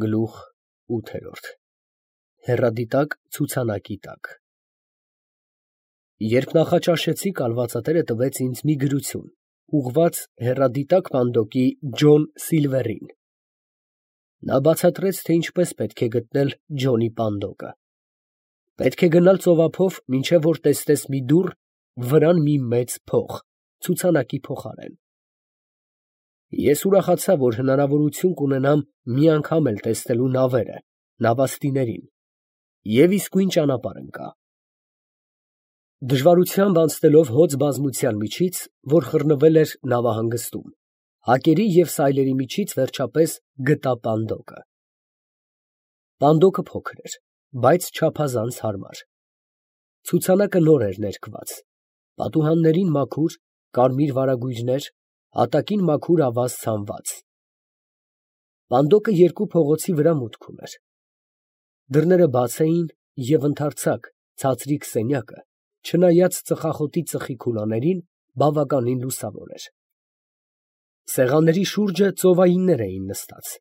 Գլուխ 8 Հեռադիտակ ցուցանակի տակ Երբ նախաճաշեցի, կալվածատերը տվեց ինձ մի գրություն, ուղղված հեռադիտակ պանդոկի Ջոն Սիլվերին։ Նա բացատրեց, թե ինչպես պետք է գտնել Ջոնի պանդոկը։ Պետք է գնալ ծովափով, մինչև որ տեսնես մի դուռ, վրան մի մեծ փող, ցուցանակի փոխարեն։ Ես ուրախացա, որ հնարավորություն կունենամ մի անգամ էլ տեսնելու նավերը, նավաստիներին, և իսկույն ճանապարհ ընկա։ Դժվարությամբ անցնելով հոծ բազմության միջից, որ խռնվել էր նավահանգստում, հակերի և սայլերի միջից վերջապես գտա պանդոկը։ Պանդոկը փոքր էր, բայց չափազանց հարմար։ Ցուցանակը նոր էր ներկված, պատուհաններին մաքուր, կարմիր վարագույրներ, հատակին մաքուր ավազ ցանված։ Պանդոկը երկու փողոցի վրա մուտք ուներ։ Դռները բաց էին և ընդարձակ, ցածրիկ սենյակը, չնայած ծխախոտի ծխի քուլաներին, բավականին լուսավոր էր։ Սեղանների շուրջը ծովայիններ էին նստած։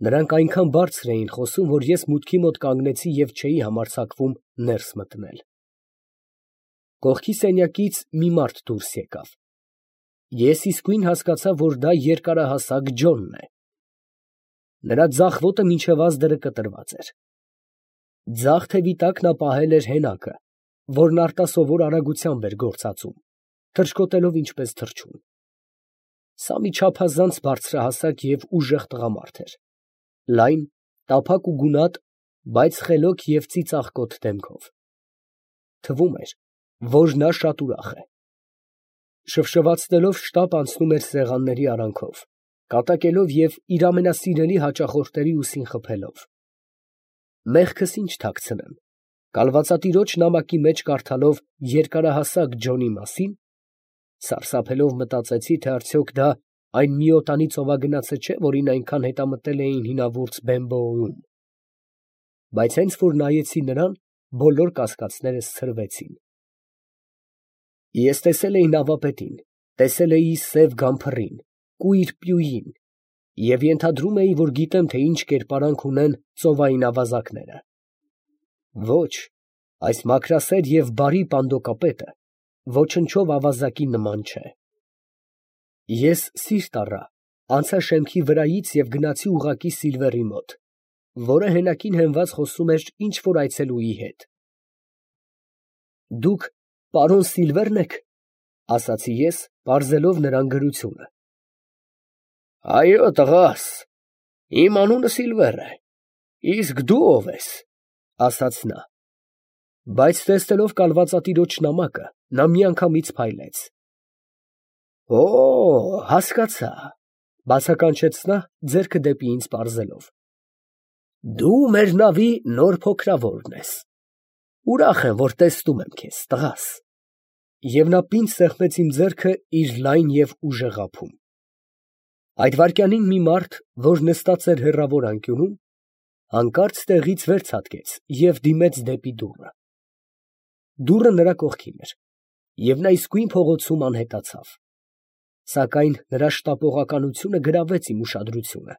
Նրանք այնքան բարձր էին խոսում, որ ես մուտքի մոտ կանգնեցի և չէի համարձակվում ներս մտնել։ Կողքի սենյակից մի մարդ դուրս եկավ։ Ես իսկույն հասկացա, որ դա երկարահասակ Ջոնն է։ Նրա ձախ ոտը մինչև ազդրը կտրված էր։ Ձախ թևի տակ նա պահել էր հենակը, որն արտասովոր արագությամբ էր գործածում, թռչկոտելով ինչպես թռչուն։ Սա մի չափազանց բարձրահասակ և ուժեղ տղամարդ էր, լայն, տափակ ու գունատ, բայց խելոք և ծիծաղկոտ դեմքով։ Թվում էր, որ նա շատ ուրախ է։ Շվշվացնելով շտապ անցնում էր սեղանների արանքով, կատակելով և իր ամենասիրելի հաճախորդների ուսին խփելով։ Մեղքս ինչ թաքցնեմ, կալվածատիրոջ նամակի մեջ կարդալով երկարահասակ Ջոնի մասին, սարսափելով մտածեցի, թե արդյոք դա այն միոտանի ծովագնացը չէ, որին այնքան հետամտել էին հինավուրց Բեմբոյում։ Բայց հենց որ նայեցի նրան, բոլոր կասկածներս ցրվեցին։ Ես տեսել էի նավապետին, տեսել էի սև գամփռին, կույր պյուին և ենթադրում էի, որ գիտեմ, թե ինչ կերպարանք ունեն ծովային ավազակները։ Ոչ, այս մաքրասեր և բարի պանդոկապետը ոչնչով ավազակի նման չէ։ Ես սիրտ առա, անցա շեմքի վրայից և գնացի ուղղակի Սիլվերի մոտ, որը հենակին հենված խոսում էր ինչ֊որ այցելուի հետ։ Դուք պարոն Սիլվերն եք, ֊ ասացի ես, պարզելով նրան գրությունը։ Այո, տղաս, իմ անունը Սիլվեր է, իսկ դու ով ես, ֊ ասաց նա։ Բայց տեսնելով կալվածատիրոջ նամակը, նա միանգամից փայլեց։ Օ, հասկացա, ֊ բացականչեց նա, ձեռքը դեպի ինձ պարզելով։ Դու մեր նավի նոր փոքրավորն ես։ Ուրախ եմ, որ տեսնում եմ քեզ, տղաս։ Եվ նա պինդ սեղմեց իմ ձեռքը իր լայն և ուժեղ ափում։ Այդ վայրկյանին մի մարդ, որ նստած էր հեռավոր անկյունում, հանկարծ տեղից վեր ցատկեց և դիմեց դեպի դուռը։ Դուռը նրա կողքին էր, և նա իսկույն փողոցում անհետացավ։ Սակայն նրա շտապողականությունը գրավեց իմ ուշադրությունը,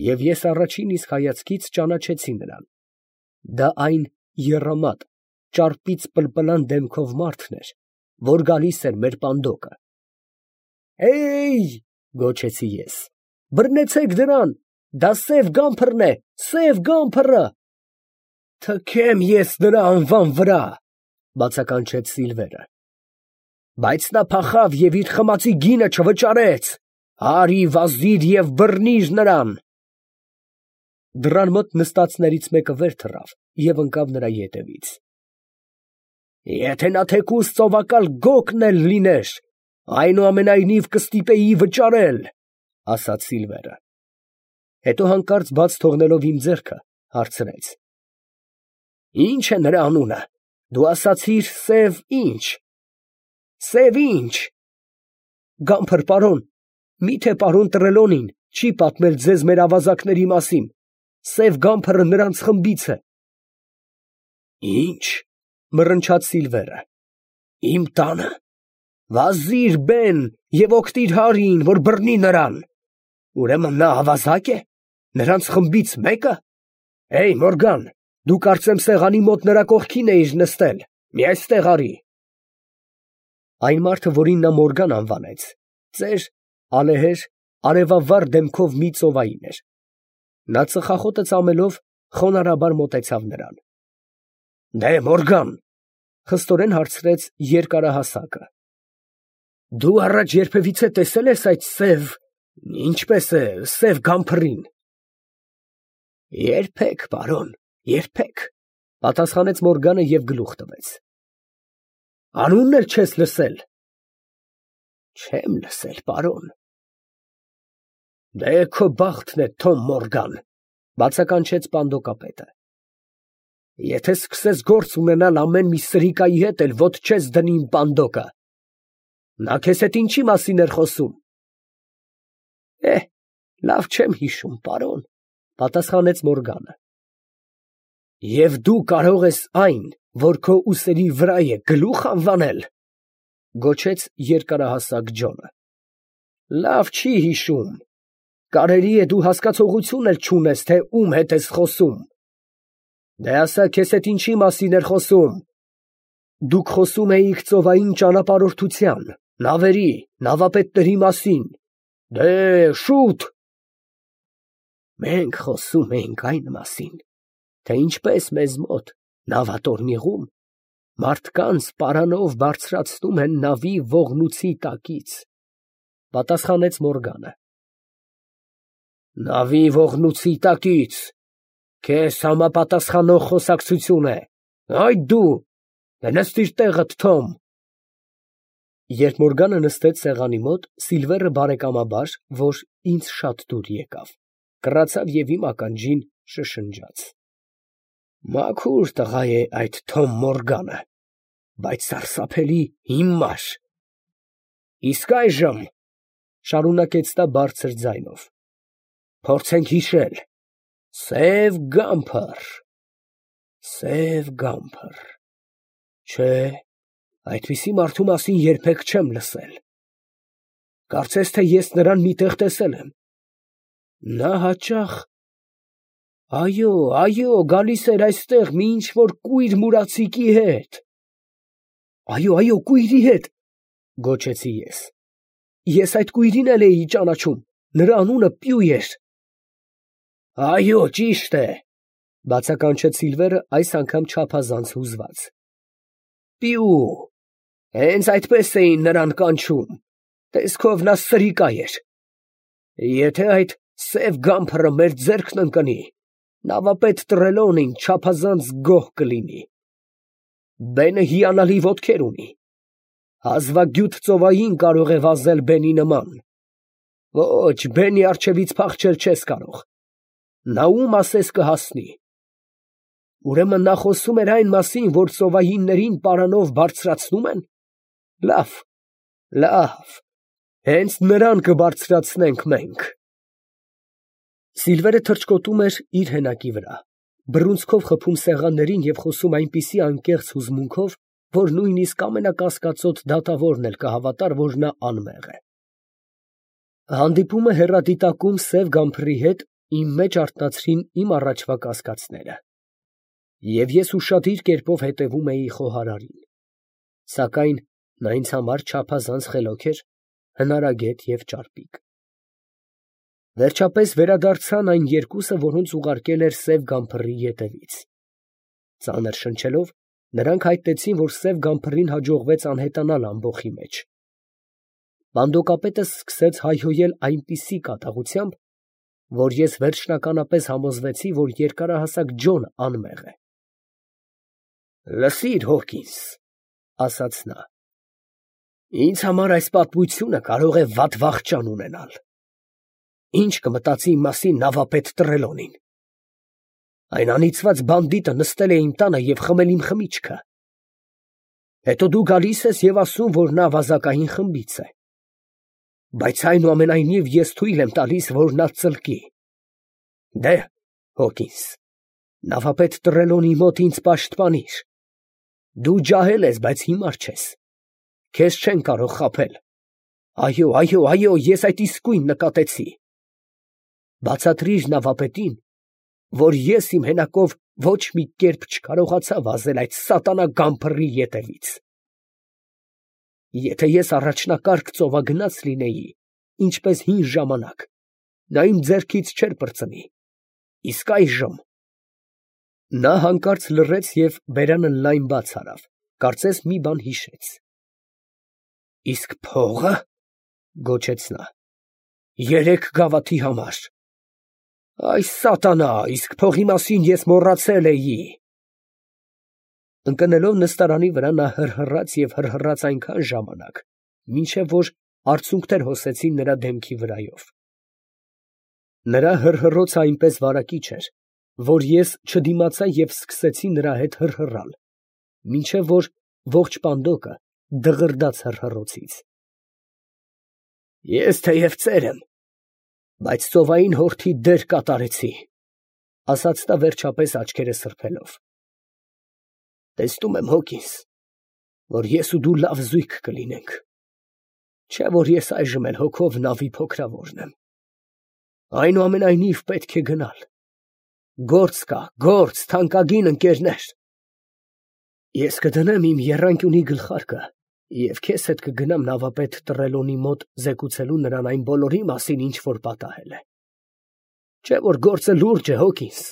և ես առաջին իսկ հայացքից ճանաչեցի նրան։ Դա այն եռամատ, ճարպից պլպլան դեմքով մարդն էր, որ գալիս էր մեր պանդոկը։ Հե՜յ, ֊ գոչեցի ես, ֊ բռնեցեք դրան, դա սև գամփռն է, սև գամփռը։ Թքեմ ես նրա անվան վրա, ֊ բացականչեց Սիլվերը։ Բայց նա փախավ և իր խմածի գինը չվճարեց, արի վազիր և բռնիր նրան։ Դռան մոտ նստածներից մեկը վեր թռավ և ընկավ նրա ետևից։ Եթե նա թեկուզ ծովակալ գոգն էլ լիներ, այնուամենայնիվ կստիպեի վճարել, ֊ ասաց Սիլվերը։ Հետո հանկարծ բաց թողնելով իմ ձեռքը, հարցրեց. Ի՞նչ է նրա անունը, դու ասացիր սև ի՞նչ։ Սև ի՞նչ։ Գամփր, պարոն, մի՞թե պարոն Տրելոնին չի պատմել ձեզ մեր ավազակների մասին, սև գամփռը նրանց խմբից է։ Ի՞նչ, ֊ մռնչաց Սիլվերը, իմ տանը, վազիր բեն և օգնիր Հարիին, որ բռնի նրան։ Ուրեմն նա ավազակ է, Նրանց խմբից մեկը։ Մորգան, դու կարծեմ սեղանի մոտ նրա կողքին էիր նստել, մի այստեղ արի։ Այն մարդը, որին նա Մորգան անվանեց, ծեր, ալեհեր, արևավառ դեմքով մի ծովային էր։ Նա ծխախոտը ծամելով խոնարհաբար մոտեցավ նրան։ Մորգան, խստորեն հարցրեց երկարահասակը, դու առաջ երբևիցե տեսել ես այդ ինչպես է, սև գամփրին։ Երբեք, պարոն, երբեք, պատասխանեց Մորգանը և գլուխ տվեց։ Անունն էլ չես լսել։ Չեմ լսել, պարոն։ Քո բախտն է, Թոմ Մորգան, բացականչեց պանդոկապետը։ Եթե սկսես գործ ունենալ ամեն մի սրիկայի հետ, էլ ոտ չես դնի իմ պանդոկը։ Նա քեզ հետ ինչի մասին էր խոսում։ Լավ չեմ հիշում, պարոն, պատասխանեց Մորգանը։ Եվ դու կարող ես այն, որ քո ուսերի վրա է, գլուխ անվանել, գոչեց երկարահասակ Ջոնը։ Լավ չի հիշում։ Կարելի է դու հասկացողություն էլ չունես, թե ում հետ ես խոսում։ Ասա, քեզ հետ ինչի մասին էր խոսում։ Դուք խոսում էիք ծովային ճանապարհորդության, նավերի, նավապետների մասին։ Շուտ։ Մենք խոսում էինք այն մասին, թե ինչպես մեզ մոտ, նավատորմիղում, մարդկանց պարանով բարձրացնում են նավի ողնուցի տակից, պատասխանեց Մորգանը։ Նավի ողնուցի տակից, քեզ համապատասխանող խոսակցություն է։ Այդ դու, նստիր տեղդ, Թոմ։ Երբ Մորգանը նստեց սեղանի մոտ, Սիլվերը բարեկամաբար, որ ինձ շատ դուր եկավ, կռացավ և իմ ականջին շշնջաց. Մաքուր տղա է այդ Թոմ Մորգանը, բայց սարսափելի հիմար։ Իսկ այժմ, շարունակեց նա բարձր ձայնով, փորձենք հիշել. սև գամփր, չէ, այդպիսի մարդու մասին երբեք չեմ լսել։ Կարծես թե ես նրան մի տեղ տեսել եմ։ Նա հաճախ, այո, գալիս էր այստեղ մի ինչ֊որ կույր մուրացիկի հետ։ Այո, կույրի հետ, գոչեցի ես։ Ես այդ կույրին էլ էի ճանաչում, նրա անունը Պյու էր։ Այո, ճիշտ է, բացականչեց Սիլվերը այս անգամ չափազանց հուզված։ Պյու, հենց այդպես էին նրան կանչում, տեսքով նա սրիկա էր։ Եթե այդ սև գամփրը մեր ձեռքն ընկնի, նավապետ Տրելոնին չափազանց գոհ կլինի։ Բենը հիանալի ոտքեր ունի, հազվագյուտ ծովային կարող է վազել բենի նման։ Ոչ, բենի առջևից փախչել չես կարող, նա ում ասես կհասնի։ Ուրեմն նա խոսում էր այն մասին, որ ծովայիններին պարանով բարձրացնում են։ Լավ, հենց նրան կբարձրացնենք մենք։ Սիլվերը թռչկոտում էր իր հենակի վրա, բռունցքով խփում սեղաններին և խոսում այնպիսի անկեղծ հուզմունքով, որ նույնիսկ ամենակասկածոտ դատավորն էլ կհավատար, որ նա անմեղ է։ Հանդիպումը հեռադիտակում սև գամփրի հետ իմ մեջ արթնացրին իմ առաջվա կասկածները, և ես ուշադիր կերպով հետևում էի խոհարարին, սակայն նա ինձ համար չափազանց խելոք էր, հնարագետ և ճարպիկ։ Վերջապես վերադարձան այն երկուսը, որոնց ուղարկել էր սև գամփրի ետևից։ Ծանր շնչելով, նրանք հայտնեցին, որ սև գամփրին հաջողվեց անհետանալ ամբոխի մեջ։ Պանդոկապետը սկսեց հայհոյել այնպիսի կատաղությամբ, որ ես վերջնականապես համոզվեցի, որ երկարահասակ Ջոնը անմեղ է։ Լսիր, Հոկինս, ասաց նա, ինձ համար այս պատմությունը կարող է վատ վախճան ունենալ։ Ինչ կմտածի իմ մասին նավապետ Տրելոնին։ Այն անիծված բանդիտը նստել է իմ տանը և խմել իմ խմիչքը։ Հետո դու գալիս ես և ասում, որ նա ավազակային խմբից է։ Բայց այնուամենայնիվ ես թույլ եմ տալիս, որ նա ծլկի։ Հոկինս, նավապետ Տրելոնի մոտ ինձ պաշտպանիր։ Դու ջահել ես, բայց հիմար չես։ Քեզ չեն կարող խաբել։ Այո, ես այդ իսկույն նկատեցի։ Բացատրիր նավապետին, որ ես իմ հենակով ոչ մի կերպ չկարողացա վազել այդ սատանա գամփռի ետևից։ Եթե ես առաջնակարգ ծովագնաց լինեի, ինչպես հին ժամանակ, նա իմ ձեռքից չէր պրծնի, իսկ այժմ… Նա հանկարծ լռեց և բերանը լայն բաց արավ, կարծես մի բան հիշեց։ Իսկ փողը, ֊ գոչեց նա, ֊ 3 գավաթի համար… Այ սատանա, իսկ փողի մասին ես մոռացել էի… Ընկնելով նստարանի վրա, նա հռհռաց և հռհռաց այնքան ժամանակ, մինչև որ արցունքներ հոսեցին նրա դեմքի վրայով… Նրա հռհռոցը այնպես վարակիչ էր, որ ես չդիմացա և սկսեցի նրա հետ հռհռալ, մինչև որ ողջ պանդոկը դղրդաց հռհռոցից… Ես թեև ծեր եմ, բայց ծովային հորթի դեր կատարեցի, ֊ ասաց նա վերջապես աչքերը սրբելով. տեսնում եմ, Հոկինս, որ ես ու դու լավ զույգ կլինենք, չէ՞ որ ես այժմ էլ հոգով նավի փոքրավորն եմ… Այնուամենայնիվ պետք է գնալ… Գործ կա, գործ, թանկագին ընկերներ… Ես կդնեմ իմ եռանկյունի գլխարկը և քեզ հետ կգնամ նավապետ Տրելոնի մոտ զեկուցելու նրան այն բոլորի մասին, ինչ որ պատահել է… Չէ՞ որ գործը լուրջ է, Հոկինս,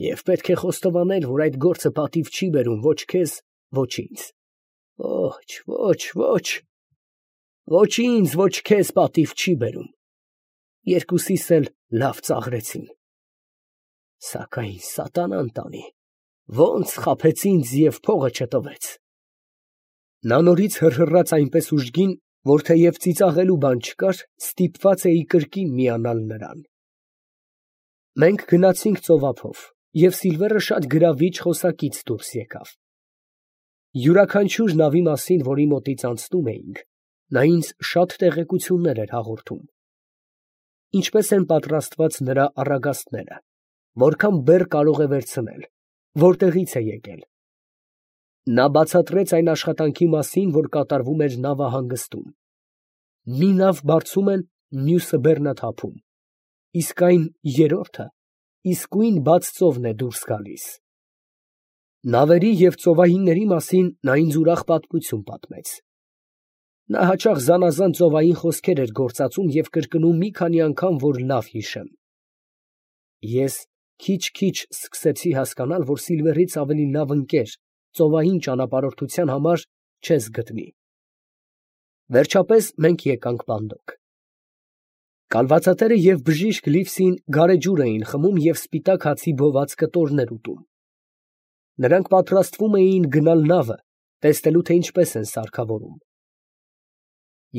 և պետք է խոստովանել, որ այդ գործը պատիվ չի բերում ոչ քեզ, ոչ ինձ… Ոչ ինձ, ոչ քեզ պատիվ չի բերում… Երկուսիս էլ լավ ծաղրեցին… Սակայն սատանան տանի, ո՞նց խաբեց ինձ և փողը չտվեց… Նա նորից հռհռաց այնպես ուժգին, որ թեև ծիծաղելու բան չկար, ստիպված էի կրկին միանալ նրան… Մենք գնացինք ծովափով, և Սիլվերը շատ գրավիչ խոսակից դուրս եկավ… Յուրաքանչյուր նավի մասին, որի մոտից անցնում էինք, նա ինձ շատ տեղեկություններ էր հաղորդում… Ինչպես են պատրաստված նրա առագաստները, որքան բեռ կարող է վերցնել, որտեղից է եկել… Նա բացատրեց այն աշխատանքի մասին, որ կատարվում էր նավահանգստում… Մի նավ բարձում են, մյուսը բեռնաթափում, իսկ այն երրորդը իսկույն բաց ծովն է դուրս գալիս… Նավերի և ծովայինների մասին նա ինձ ուրախ պատմություն պատմեց… Նա հաճախ զանազան ծովային խոսքեր էր գործածում և կրկնում մի քանի անգամ, որ լավ հիշեմ… Ես քիչ֊քիչ սկսեցի հասկանալ, որ Սիլվերից ավելի լավ ընկեր ծովային ճանապարհորդության համար չես գտնի… Վերջապես մենք եկանք պանդոկ… Կալվածատերը և բժիշկ Լիվսին գարեջուր էին խմում և սպիտակ հացի բոված կտորներ ուտում… Նրանք պատրաստվում էին գնալ նավը, տեսնելու, թե ինչպես են սարքավորում…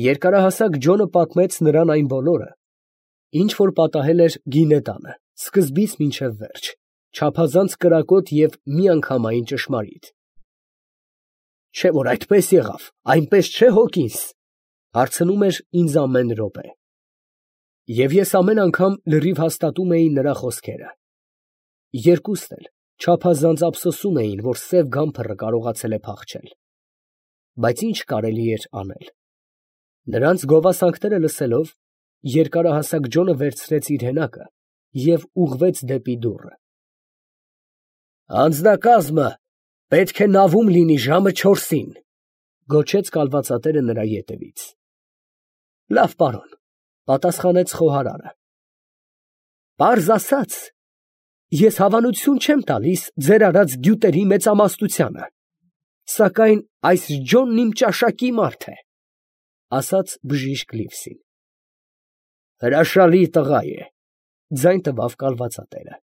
Երկարահասակ Ջոնը պատմեց նրան այն բոլորը, ինչ որ պատահել էր գինե տանը, սկզբից մինչև վերջ, չափազանց կրակոտ և միանգամայն ճշմարիտ… ֊ Չէ՞ որ այդպես եղավ, այնպես չէ՞, Հոկինս, ֊ հարցնում էր ինձ ամեն րոպե… Եվ ես ամեն անգամ լրիվ հաստատում էի նրա խոսքերը… Երկուսն էլ չափազանց ափսոսում էին, որ սև գամբռը կարողացել է փախչել… Բայց ի՞նչ կարելի էր անել… Նրանց գովասանքները լսելով, երկարահասակ Ջոնը վերցրեց իր հենակը և ուղղվեց դեպի դուռը… Անձնակազմը պետք է նավում լինի ժամը 4-ին, ֊ գոչեց կալվածատերը նրա ետևից։ ֊ Լավ, պարոն, ֊ պատասխանեց խոհարարը։ ֊ Պարզ ասած, ես հավանություն չեմ տալիս ձեր արած գյուտերի մեծամասնությանը, սակայն այս Ջոնն իմ ճաշակի մարդ է, ֊ ասաց բժիշկ Լիվսին։ ֊ Հրաշալի տղա է, ֊ ձայն տվավ կալվածատերը։ ֊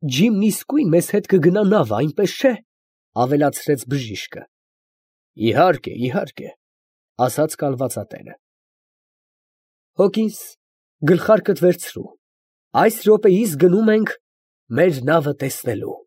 Ջիմն իսկույն մեզ հետ կգնա նավը, այնպես չէ՞, ֊ ավելացրեց բժիշկը։ ֊ Իհարկե, իհարկե, ֊ ասաց կալվածատերը։ ֊ Հոկինս, գլխարկդ վերցրու, այս րոպեիս գնում ենք մեր նավը տեսնելու։